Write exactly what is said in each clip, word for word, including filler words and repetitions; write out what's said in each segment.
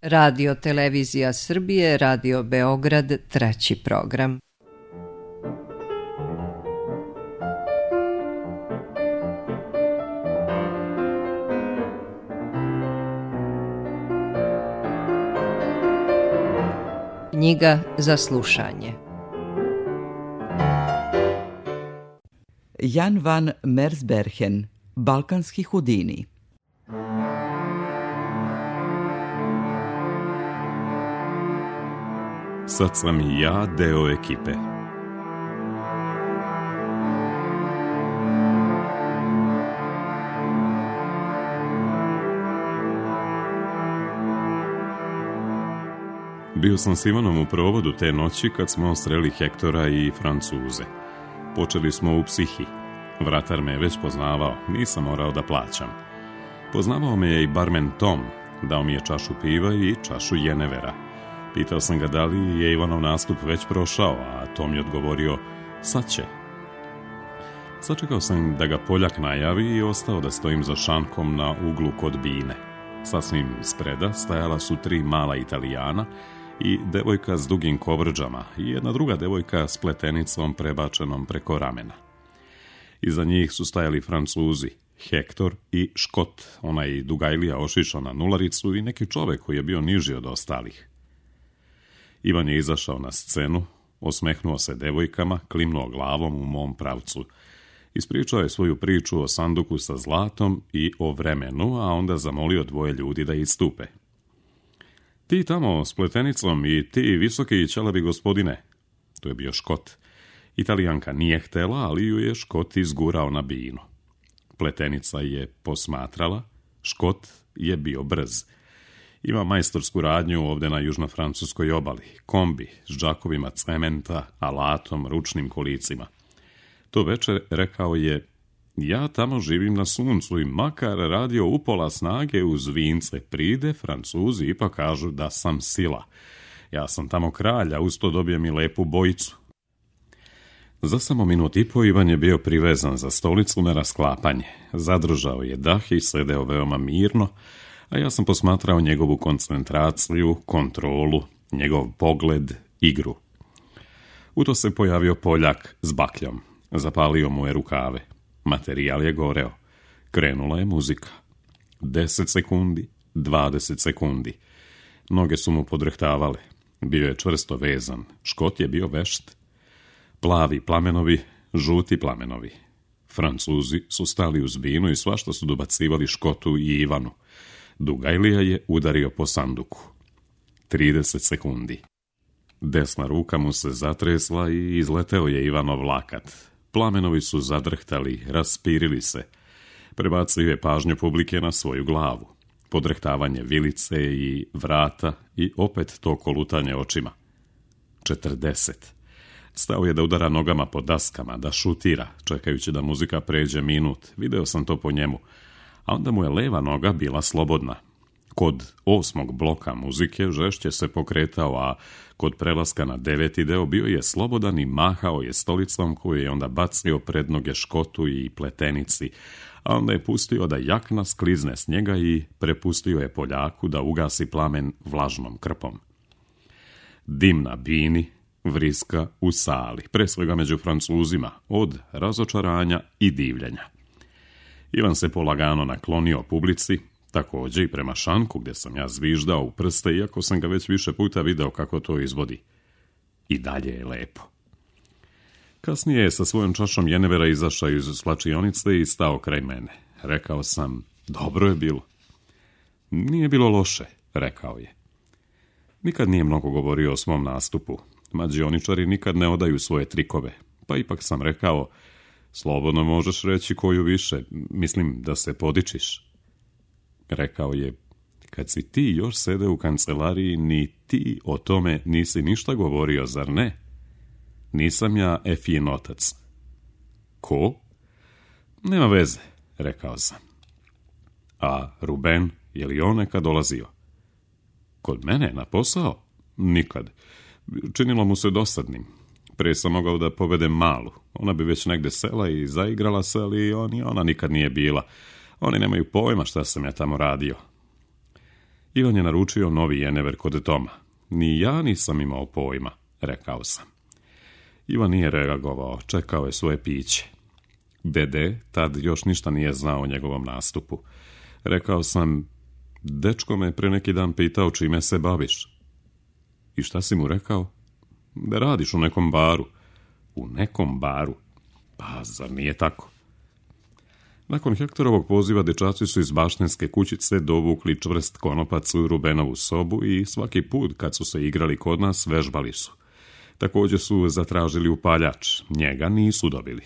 Radio Televizija Srbije, Radio Beograd, treći program. Knjiga za slušanje. Jan van Mersbergen, Balkanski Houdini. Sad sam i ja deo ekipe. Bio sam s Ivanom u provodu te noći kad smo sreli Hektora i Francuze. Počeli smo u Psihi. Vratar me je već poznavao, nisam morao da plaćam. Poznavao me je i barmen Tom, dao mi je čašu piva i čašu jenevera. Pitao sam ga da li je Ivanov nastup već prošao, a Tom je odgovorio, sad će. Sačekao sam da ga Poljak najavi i ostao da stojim za šankom na uglu kod bine. Sasvim spreda stajala su tri mala Italijana i devojka s dugim kovrđama i jedna druga devojka s pletenicom prebačenom preko ramena. Iza njih su stajali Francuzi, Hektor i Škot, onaj dugajlija ošišao na nularicu i neki čovek koji je bio niži od ostalih. Ivan je izašao na scenu, osmehnuo se devojkama, klimnuo glavom u mom pravcu. Ispričao je svoju priču o sanduku sa zlatom i o vremenu, a onda zamolio dvoje ljudi da istupe. Ti tamo s pletenicom i ti visoki i ćelavi gospodine. To je bio Škot. Italijanka nije htela, ali ju je Škot izgurao na binu. Pletenica je posmatrala, Škot je bio brz. Ima majstorsku radnju ovde na južnofrancuskoj obali, kombi s džakovima cementa, alatom, ručnim kolicima. To večer rekao je, ja tamo živim na suncu i makar radio upola snage uz vince pride, Francuzi ipak kažu da sam sila. Ja sam tamo kralja, usto dobijem i lepu bojicu. Za samo minut i po Ivan je bio privezan za stolicu na rasklapanje. Zadržao je dah i sedeo veoma mirno, a ja sam posmatrao njegovu koncentraciju, kontrolu, njegov pogled, igru. U to se pojavio Poljak s bakljom. Zapalio mu je rukave. Materijal je goreo. Krenula je muzika. Deset sekundi, dvadeset sekundi. Noge su mu podrehtavale. Bio je čvrsto vezan. Škot je bio vešt. Plavi plamenovi, žuti plamenovi. Francuzi su stali uz binu i svašta su dobacivali Škotu i Ivanu. Dugajlija je udario po sanduku. trideset sekundi. Desna ruka mu se zatresla i izleteo je Ivanov lakat. Plamenovi su zadrhtali, raspirili se. Prebacio je pažnju publike na svoju glavu. Podrehtavanje vilice i vrata i opet to kolutanje očima. četrdeset. Stao je da udara nogama po daskama, da šutira, čekajući da muzika pređe minut. Video sam to po njemu. A onda mu je leva noga bila slobodna. Kod osmog bloka muzike žešće se pokretao, a kod prelaska na deveti deo bio je slobodan i mahao je stolicom koju je onda bacio pred noge Škotu i pletenici, a onda je pustio da jakna sklizne s njega i prepustio je Poljaku da ugasi plamen vlažnom krpom. Dim na bini, vriska u sali, pre svega među Francuzima, od razočaranja i divljenja. Ivan se polagano naklonio publici, također i prema šanku gdje sam ja zviždao u prste, iako sam ga već više puta video kako to izvodi. I dalje je lepo. Kasnije je sa svojom čašom jenevera izašao iz slačionice i stao kraj mene. Rekao sam, dobro je bilo. Nije bilo loše, rekao je. Nikad nije mnogo govorio o svom nastupu. Mađioničari nikad ne odaju svoje trikove, pa ipak sam rekao, slobodno možeš reći koju više, mislim da se podičiš. Rekao je, kad si ti još sede u kancelariji, ni ti o tome nisi ništa govorio, zar ne? Nisam ja Efin otac. Ko? Nema veze, rekao sam. A Ruben, je li on nekad dolazio? Kod mene na posao? Nikad. Činilo mu se dosadnim. Pre sam mogao da povedem malu. Ona bi već negde sela i zaigrala se, ali on i ona nikad nije bila. Oni nemaju pojma šta sam ja tamo radio. Ivan je naručio novi jenever kod Toma. Ni ja nisam imao pojma, rekao sam. Ivan nije reagovao, čekao je svoje piće. Dede tad još ništa nije znao o njegovom nastupu. Rekao sam, dečko me pre neki dan pitao čime se baviš. I šta si mu rekao? Da radiš u nekom baru. U nekom baru? Pa, zar nije tako? Nakon Hektorovog poziva dečaci su iz baštenske kućice dovukli čvrst konopac u Rubenovu sobu i svaki put kad su se igrali kod nas vežbali su. Također su zatražili upaljač, njega nisu dobili.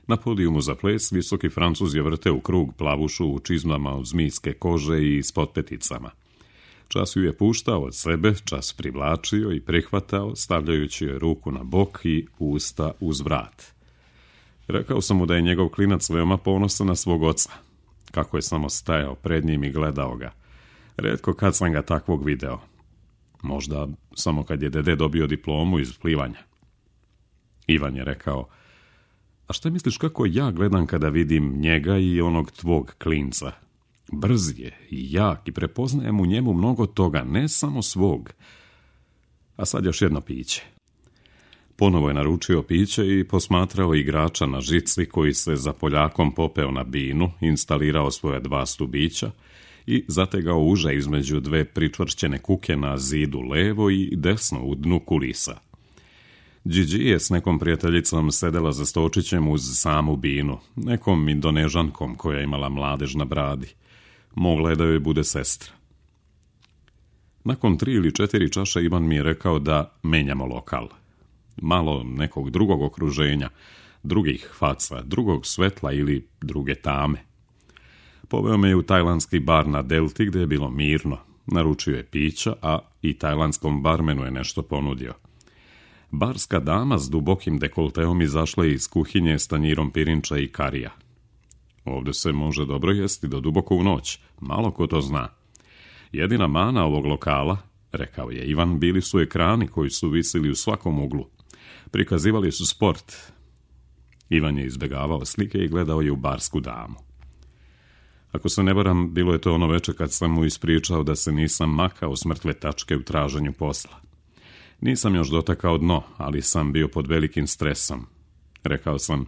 Na podijumu za ples visoki Francuz je vrteo u krug plavušu u čizmama od zmijske kože i s potpeticama. Čas ju je puštao od sebe, čas privlačio i prihvatao, stavljajući joj ruku na bok i usta uz vrat. Rekao sam mu da je njegov klinac veoma ponosan na svog oca. Kako je samo stajao pred njim i gledao ga. Retko kad sam ga takvog video. Možda samo kad je dede dobio diplomu iz plivanja. Ivan je rekao, a šta misliš kako ja gledam kada vidim njega i onog tvog klinca? Brz je i jak i prepoznajem u njemu mnogo toga, ne samo svog. A sad još jedno piće. Ponovo je naručio piće i posmatrao igrača na žici koji se za Poljakom popeo na binu, instalirao svoje dva stubića i zategao uže između dve pričvršćene kuke na zidu levo i desno u dnu kulisa. Gigi je s nekom prijateljicom sedela za stočićem uz samu binu, nekom Indonežankom koja je imala mladež na bradi. Mogla je da joj bude sestra. Nakon tri ili četiri čaše Ivan mi je rekao da menjamo lokal. Malo nekog drugog okruženja, drugih faca, drugog svetla ili druge tame. Poveo me je u tajlandski bar na Delti gdje je bilo mirno. Naručio je pića, a i tajlandskom barmenu je nešto ponudio. Barska dama s dubokim dekolteom izašla je iz kuhinje s tanjirom pirinča i karija. Ovdje se može dobro jesti do duboko u noć, malo ko to zna. Jedina mana ovog lokala, rekao je Ivan, bili su ekrani koji su visili u svakom uglu. Prikazivali su sport. Ivan je izbjegavao slike i gledao je u barsku damu. Ako se ne varam, bilo je to ono večer kad sam mu ispričao da se nisam makao s mrtve tačke u traženju posla. Nisam još dotakao dno, ali sam bio pod velikim stresom. Rekao sam,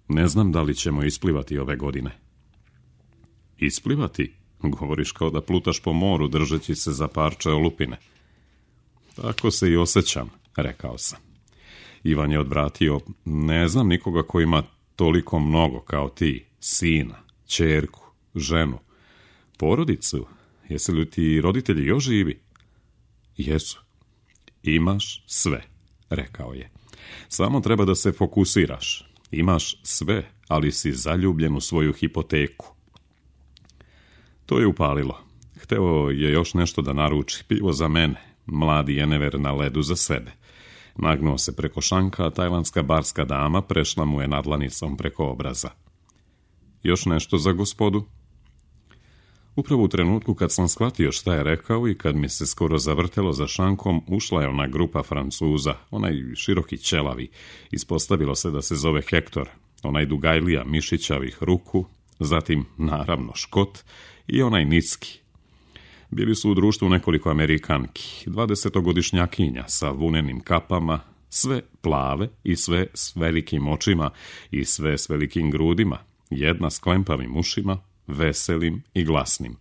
ne znam da li ćemo isplivati ove godine. Isplivati? Govoriš kao da plutaš po moru držeći se za parče olupine. Tako se i osjećam, rekao sam. Ivan je odvratio, ne znam nikoga ko ima toliko mnogo kao ti, sina, ćerku, ženu, porodicu. Jesu li ti roditelji još živi? Jesu. Imaš sve, rekao je. Samo treba da se fokusiraš. Imaš sve, ali si zaljubljen u svoju hipoteku. To je upalilo. Hteo je još nešto da naruči, pivo za mene, mladi jenever na ledu za sebe. Nagnuo se preko šanka, a tajlandska barska dama prešla mu je nadlanicom preko obraza. Još nešto za gospodu? Upravo u trenutku kad sam shvatio šta je rekao i kad mi se skoro zavrtelo za šankom, ušla je ona grupa Francuza, onaj široki ćelavi. Ispostavilo se da se zove Hektor, onaj dugajlija mišićavih ruku, zatim, naravno, Škot i onaj niski. Bili su u društvu nekoliko Amerikanki, dvadesetogodišnjakinja sa vunenim kapama, sve plave i sve s velikim očima i sve s velikim grudima, jedna s klempavim ušima, veselim i glasnim.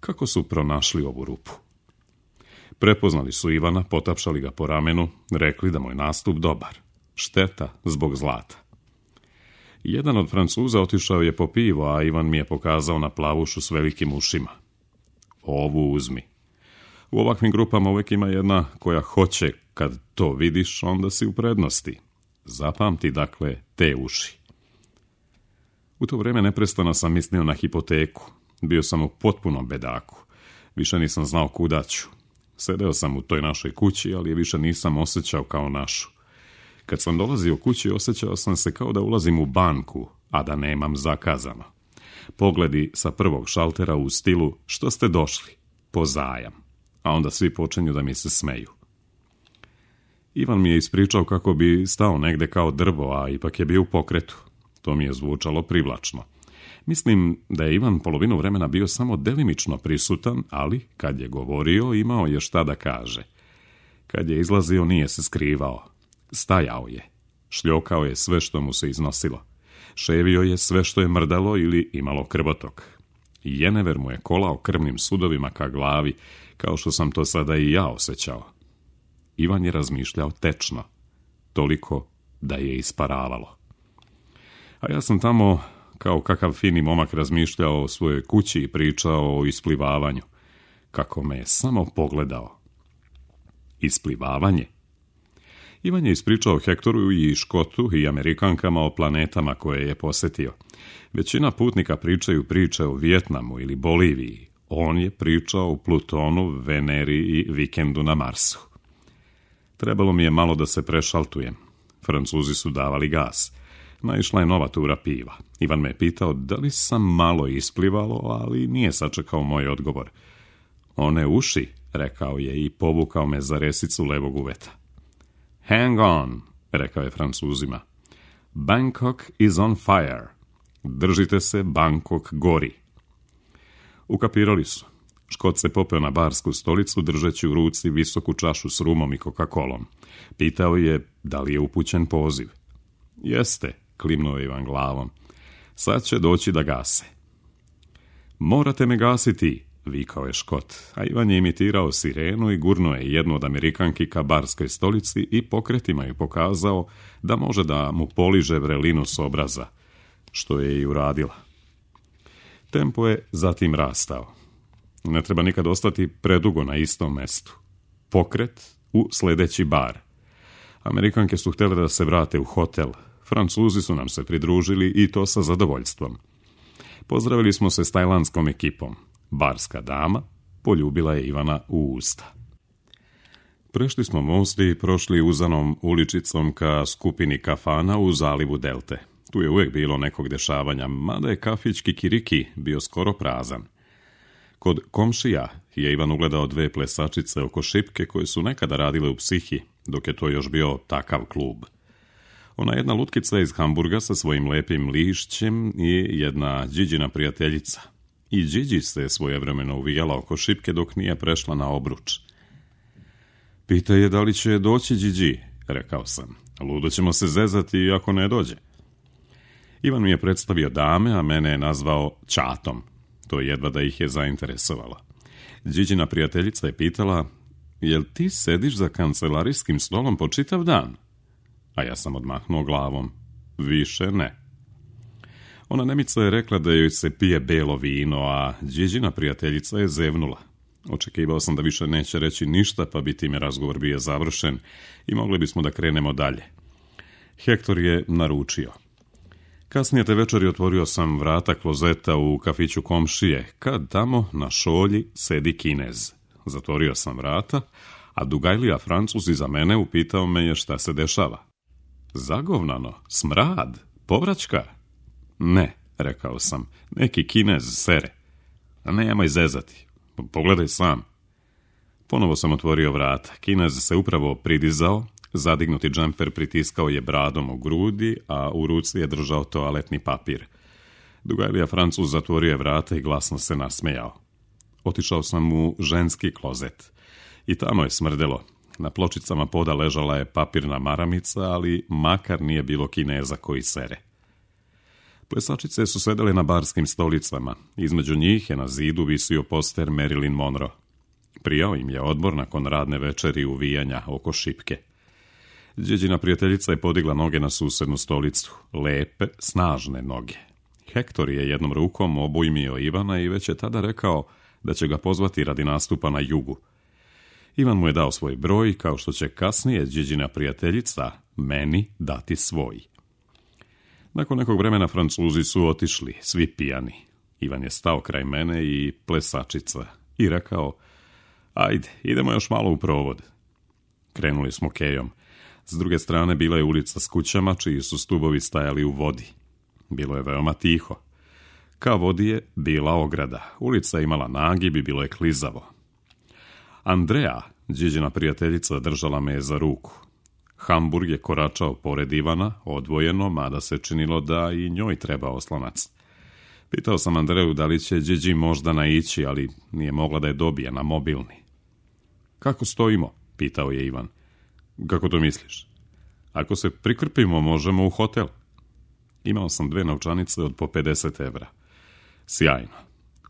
Kako su pronašli ovu rupu? Prepoznali su Ivana, potapšali ga po ramenu, rekli da mu je nastup dobar. Šteta zbog zlata. Jedan od Francuza otišao je po pivo, a Ivan mi je pokazao na plavušu s velikim ušima. Ovu uzmi. U ovakvim grupama uvijek ima jedna koja hoće, kad to vidiš, onda si u prednosti. Zapamti, dakle, te uši. U to vrijeme neprestano sam mislio na hipoteku. Bio sam u potpunom bedaku. Više nisam znao kuda ću. Sedeo sam u toj našoj kući, ali je više nisam osjećao kao našu. Kad sam dolazio kući, osjećao sam se kao da ulazim u banku, a da nemam zakazano. Pogledi sa prvog šaltera u stilu, što ste došli? Po zajam. A onda svi počinju da mi se smeju. Ivan mi je ispričao kako bi stao negde kao drvo, a ipak je bio u pokretu. To mi je zvučalo privlačno. Mislim da je Ivan polovinu vremena bio samo delimično prisutan, ali kad je govorio imao je šta da kaže. Kad je izlazio nije se skrivao. Stajao je. Šljokao je sve što mu se iznosilo. Ševio je sve što je mrdalo ili imalo krvotok. Jenever mu je kolao krvnim sudovima ka glavi, kao što sam to sada i ja osjećao. Ivan je razmišljao tečno, toliko da je isparavalo. A ja sam tamo, kao kakav fini momak, razmišljao o svojoj kući i pričao o isplivavanju. Kako me je samo pogledao. Isplivavanje? Ivan je ispričao Hektoru i Škotu i Amerikankama o planetama koje je posjetio. Većina putnika pričaju priče o Vijetnamu ili Boliviji. On je pričao o Plutonu, Veneri i vikendu na Marsu. Trebalo mi je malo da se prešaltujem. Francuzi su davali gas. Naišla je nova tura piva. Ivan me je pitao da li sam malo isplivalo, ali nije sačekao moj odgovor. One uši, rekao je i povukao me za resicu levog uveta. Hang on, rekao je Francuzima. Bangkok is on fire. Držite se, Bangkok gori. Ukapirali su. Škot se popeo na barsku stolicu držeći u ruci visoku čašu s rumom i Coca-Colom. Pitao je da li je upućen poziv. Jeste, klimnuo je Ivan glavom. Sad će doći da gase. Morate me gasiti, vikao je Škot, a Ivan je imitirao sirenu i gurnuo je jednu od Amerikanki ka barskoj stolici i pokretima je pokazao da može da mu poliže vrelinu s obraza, što je i uradila. Tempo je zatim rastao. Ne treba nikad ostati predugo na istom mestu. Pokret u sljedeći bar. Amerikanke su htjele da se vrate u hotel. Francuzi su nam se pridružili i to sa zadovoljstvom. Pozdravili smo se s tajlandskom ekipom. Barska dama poljubila je Ivana u usta. Prešli smo most i prošli uzanom uličicom ka skupini kafana u zalivu Delte. Tu je uvijek bilo nekog dešavanja, mada je kafić Kikiriki bio skoro prazan. Kod komšija je Ivan ugledao dve plesačice oko šipke koje su nekada radile u Psihi, dok je to još bio takav klub. Ona jedna lutkica iz Hamburga sa svojim lepim lišćem i jedna Điđina prijateljica. I Điđi se svojevremeno uvijala oko šipke dok nije prešla na obruč. Pita je da li će doći Điđi, rekao sam. Ludo ćemo se zezati ako ne dođe. Ivan mi je predstavio dame, a mene je nazvao Ćatom. To jedva da ih je zainteresovalo. Điđina prijateljica je pitala, jel ti sediš za kancelarijskim stolom po čitav dan? A ja sam odmahnuo glavom. Više ne. Ona Nemica je rekla da joj se pije belo vino, a Điđina prijateljica je zevnula. Očekivao sam da više neće reći ništa, pa bi time razgovor bio završen i mogli bismo da krenemo dalje. Hektor je naručio. Kasnije te večeri otvorio sam vrata klozeta u kafiću komšije, kad tamo na šolji sedi Kinez. Zatvorio sam vrata, a Dugajlija Francuz iza mene upitao me je šta se dešava. Zagovnano, smrad, povraćka? Ne, rekao sam, neki Kinez sere. A nemoj zezati, pogledaj sam. Ponovo sam otvorio vrata, Kinez se upravo pridizao, zadignuti džemper pritiskao je bradom u grudi, a u ruci je držao toaletni papir. Dugajlija Francuz zatvorio je vrata i glasno se nasmejao. Otišao sam u ženski klozet. I tamo je smrdelo. Na pločicama poda ležala je papirna maramica, ali makar nije bilo Kineza koji sere. Plesačice su sedele na barskim stolicama. Između njih je na zidu visio poster Marilyn Monroe. Prijao im je odmor nakon radne večeri uvijanja oko šipke. Điđina prijateljica je podigla noge na susednu stolicu. Lepe, snažne noge. Hektor je jednom rukom obujmio Ivana i već je tada rekao da će ga pozvati radi nastupa na jugu. Ivan mu je dao svoj broj, kao što će kasnije Điđina prijateljica meni dati svoj. Nakon nekog vremena Francuzi su otišli, svi pijani. Ivan je stao kraj mene i plesačica i rekao, ajde, idemo još malo u provod. Krenuli smo kejom. S druge strane bila je ulica s kućama, čiji su stubovi stajali u vodi. Bilo je veoma tiho. Ka vodi je bila ograda. Ulica je imala nagib i bilo je klizavo. Andrea, Điđina prijateljica, držala me je za ruku. Hamburg je koračao pored Ivana, odvojeno, mada se činilo da i njoj treba oslonac. Pitao sam Andreju da li će Điđi možda naići, ali nije mogla da je dobije na mobilni. Kako stojimo? Pitao je Ivan. Kako to misliš? Ako se prikrpimo, možemo u hotel. Imao sam dve novčanice od po pedeset evra. Sjajno.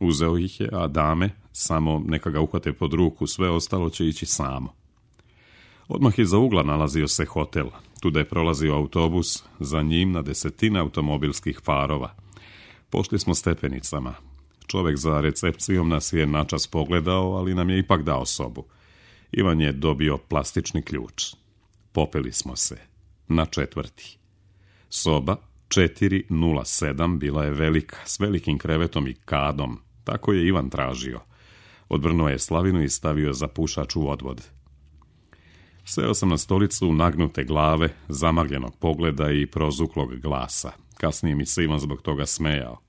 Uzeo ih je, a dame samo neka ga uhvate pod ruku, sve ostalo će ići samo. Odmah iza ugla nalazio se hotel. Tuda je prolazio autobus, za njim na desetine automobilskih farova. Pošli smo stepenicama. Čovjek za recepcijom nas je načas pogledao, ali nam je ipak dao sobu. Ivan je dobio plastični ključ. Popeli smo se. Na četvrti. Soba četiri nula sedam bila je velika, s velikim krevetom i kadom. Tako je Ivan tražio. Odvrnuo je slavinu i stavio za pušač u odvod. Seo sam na stolicu nagnute glave, zamagljenog pogleda i prozuklog glasa. Kasnije mi se Ivan zbog toga smejao.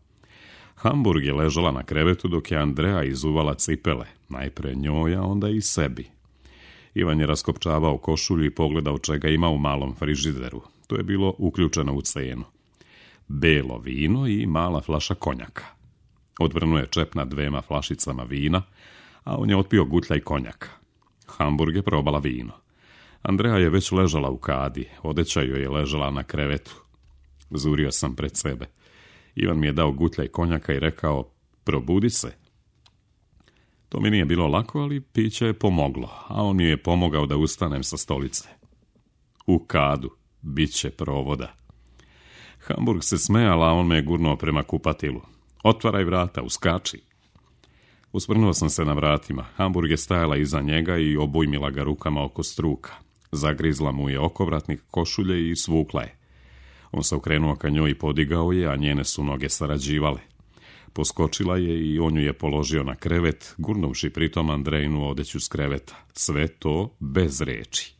Hamburg je ležala na krevetu dok je Andreja izuvala cipele. Najpre njoj, a onda i sebi. Ivan je raskopčavao košulju i pogledao čega ima u malom frižideru. To je bilo uključeno u cenu. Belo vino i mala flaša konjaka. Odvrnuo je čep na dvema flašicama vina, a on je otpio gutljaj konjaka. Hamburg je probala vino. Andreja je već ležala u kadi, odeća joj je ležala na krevetu. Zurio sam pred sebe. Ivan mi je dao gutljaj konjaka i rekao, probudi se. To mi nije bilo lako, ali piće je pomoglo, a on mi je pomogao da ustanem sa stolice. U kadu, bit će provoda. Hamburg se smejala, a on me je gurnuo prema kupatilu. Otvaraj vrata, uskači. Usvrnuo sam se na vratima. Hamburg je stajala iza njega i obujmila ga rukama oko struka. Zagrizla mu je okovratnik košulje i svukla je. On se okrenuo ka njoj i podigao je, a njene su noge sarađivale. Poskočila je i on ju je položio na krevet, gurnuvši pritom Andrejinu odeću s kreveta. Sve to bez reči.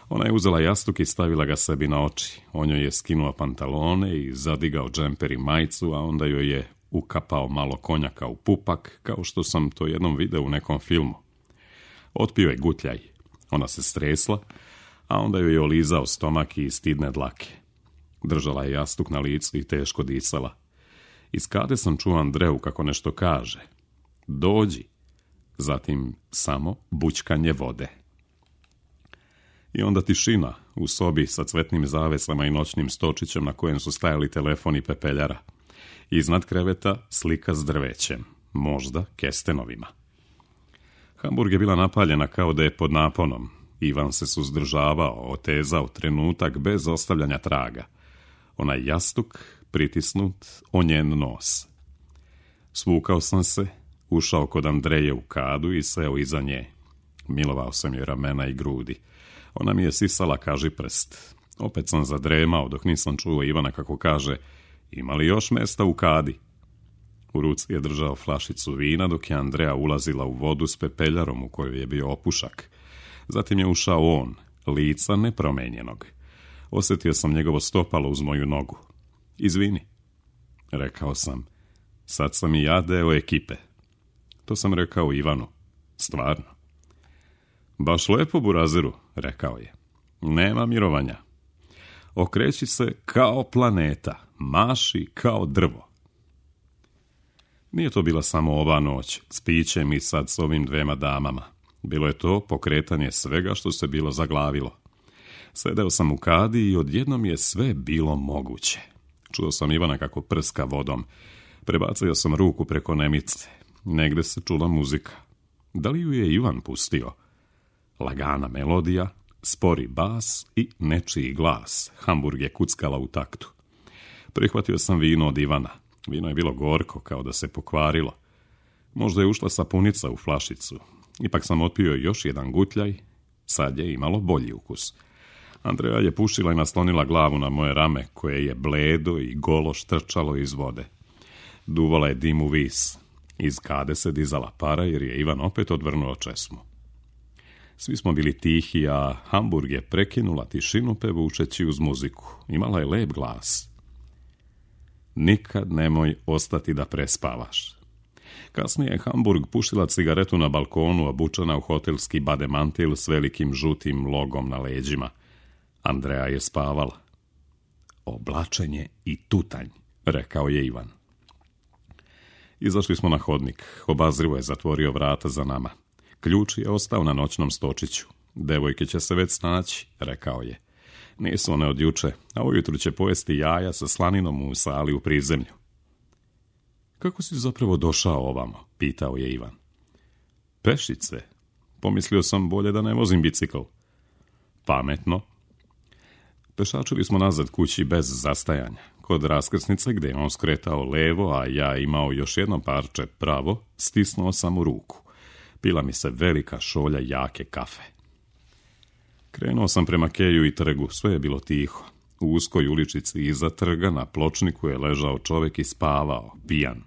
Ona je uzela jastuk i stavila ga sebi na oči. On joj je skinuo pantalone i zadigao džemper i majicu, a onda joj je ukapao malo konjaka u pupak, kao što sam to jednom video u nekom filmu. Otpio je gutljaj. Ona se stresla, a onda joj je olizao stomak i stidne dlake. Držala je jastuk na licu i teško disala. Iz kade sam čuo Andreju kako nešto kaže. Dođi. Zatim samo bućkanje vode. I onda tišina u sobi sa cvetnim zavesama i noćnim stočićem na kojem su stajali telefon i pepeljara. Iznad kreveta slika s drvećem, možda kestenovima. Hamburg je bila napaljena kao da je pod naponom. Ivan se suzdržavao, otezao trenutak bez ostavljanja traga. Onaj jastuk pritisnut o njen nos. Svukao sam se, ušao kod Andreje u kadu i seo iza nje. Milovao sam joj ramena i grudi. Ona mi je sisala kažiprst. Opet sam zadremao dok nisam čuo Ivana kako kaže, ima li još mesta u kadi? U ruci je držao flašicu vina dok je Andreja ulazila u vodu s pepeljarom u kojoj je bio opušak. Zatim je ušao on, lica nepromenjenog. Osjetio sam njegovo stopalo uz moju nogu. Izvini, rekao sam, sad sam i ja deo ekipe. To sam rekao Ivanu. Stvarno. Baš lepo, burazeru, rekao je. Nema mirovanja. Okreći se kao planeta, maši kao drvo. Nije to bila samo ova noć, s pićem i sad s ovim dvema damama. Bilo je to pokretanje svega što se bilo zaglavilo. Sedeo sam u kadi i odjednom je sve bilo moguće. Čuo sam Ivana kako prska vodom. Prebacio sam ruku preko nemice. Negde se čula muzika. Da li ju je Ivan pustio? Lagana melodija, spori bas i nečiji glas. Hamburg je kuckala u taktu. Prihvatio sam vino od Ivana. Vino je bilo gorko, kao da se pokvarilo. Možda je ušla sapunica u flašicu. Ipak sam otpio još jedan gutljaj. Sad je imalo bolji ukus. Andreja je pušila i naslonila glavu na moje rame, koje je bledo i golo štrčalo iz vode. Duvala je dim u vis. Iz kade se dizala para jer je Ivan opet odvrnuo česmu. Svi smo bili tihi, a Hamburg je prekinula tišinu pevučeći uz muziku. Imala je lep glas. Nikad nemoj ostati da prespavaš. Kasnije je Hamburg pušila cigaretu na balkonu, obučena u hotelski bademantil s velikim žutim logom na leđima. Andreja je spavala. Oblačenje i tutanj, rekao je Ivan. Izašli smo na hodnik. Obazrivo je zatvorio vrata za nama. Ključ je ostao na noćnom stočiću. Devojke će se već snaći, rekao je. Nisu one od juče, a ujutru će pojesti jaja sa slaninom u sali u prizemlju. Kako si zapravo došao ovamo? Pitao je Ivan. Pešice. Pomislio sam bolje da ne vozim bicikl. Pametno. Pešačili smo nazad kući bez zastajanja. Kod raskrsnice gdje je on skretao levo, a ja imao još jedno parče pravo, stisnuo sam u ruku. Pila mi se velika šolja jake kafe. Krenuo sam prema keju i trgu, sve je bilo tiho. U uskoj uličici iza trga na pločniku je ležao čovjek i spavao, pijan.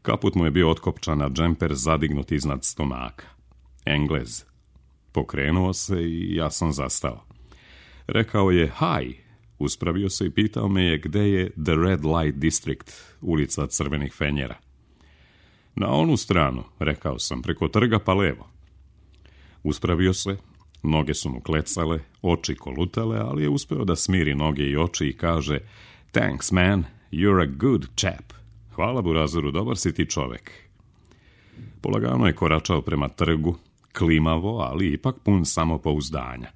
Kaput mu je bio otkopčan, a džemper zadignut iznad stomaka. Englez. Pokrenuo se i ja sam zastao. Rekao je hi, uspravio se i pitao me je gde je The Red Light District, ulica crvenih fenjera. Na onu stranu, rekao sam, preko trga pa levo. Uspravio se, noge su mu klecale, oči kolutale, ali je uspeo da smiri noge i oči i kaže Thanks man, you're a good chap. Hvala Burazeru, dobar si ti čovek. Polagano je koračao prema trgu, klimavo, ali ipak pun samopouzdanja.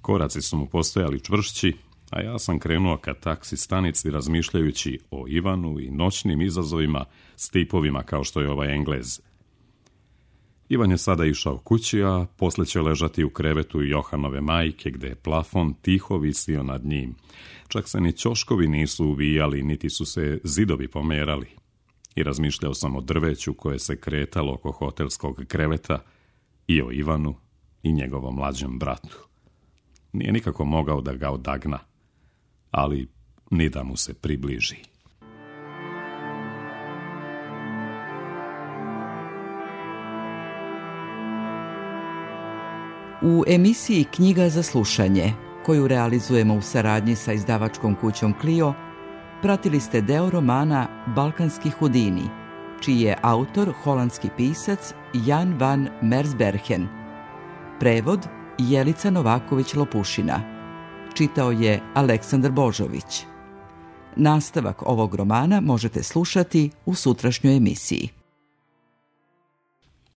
Koraci su mu postojali čvršći, a ja sam krenuo ka taksi stanici razmišljajući o Ivanu i noćnim izazovima s tipovima kao što je ovaj Englez. Ivan je sada išao kući, a posle će ležati u krevetu Johanove majke, gde je plafon tiho visio nad njim. Čak se ni ćoškovi nisu uvijali, niti su se zidovi pomerali. I razmišljao sam o drveću koje se kretalo oko hotelskog kreveta i o Ivanu i njegovom mlađem bratu. Nije nikako mogao da ga odagna, ali ni da mu se približi. U emisiji Knjiga za slušanje, koju realizujemo u saradnji sa izdavačkom kućom Clio, pratili ste deo romana Balkanski Hudini, čiji je autor holandski pisac Jan van Mersbergen. Prevod Jelica Novaković-Lopušina. Čitao je Aleksandar Božović. Nastavak ovog romana možete slušati u sutrašnjoj emisiji.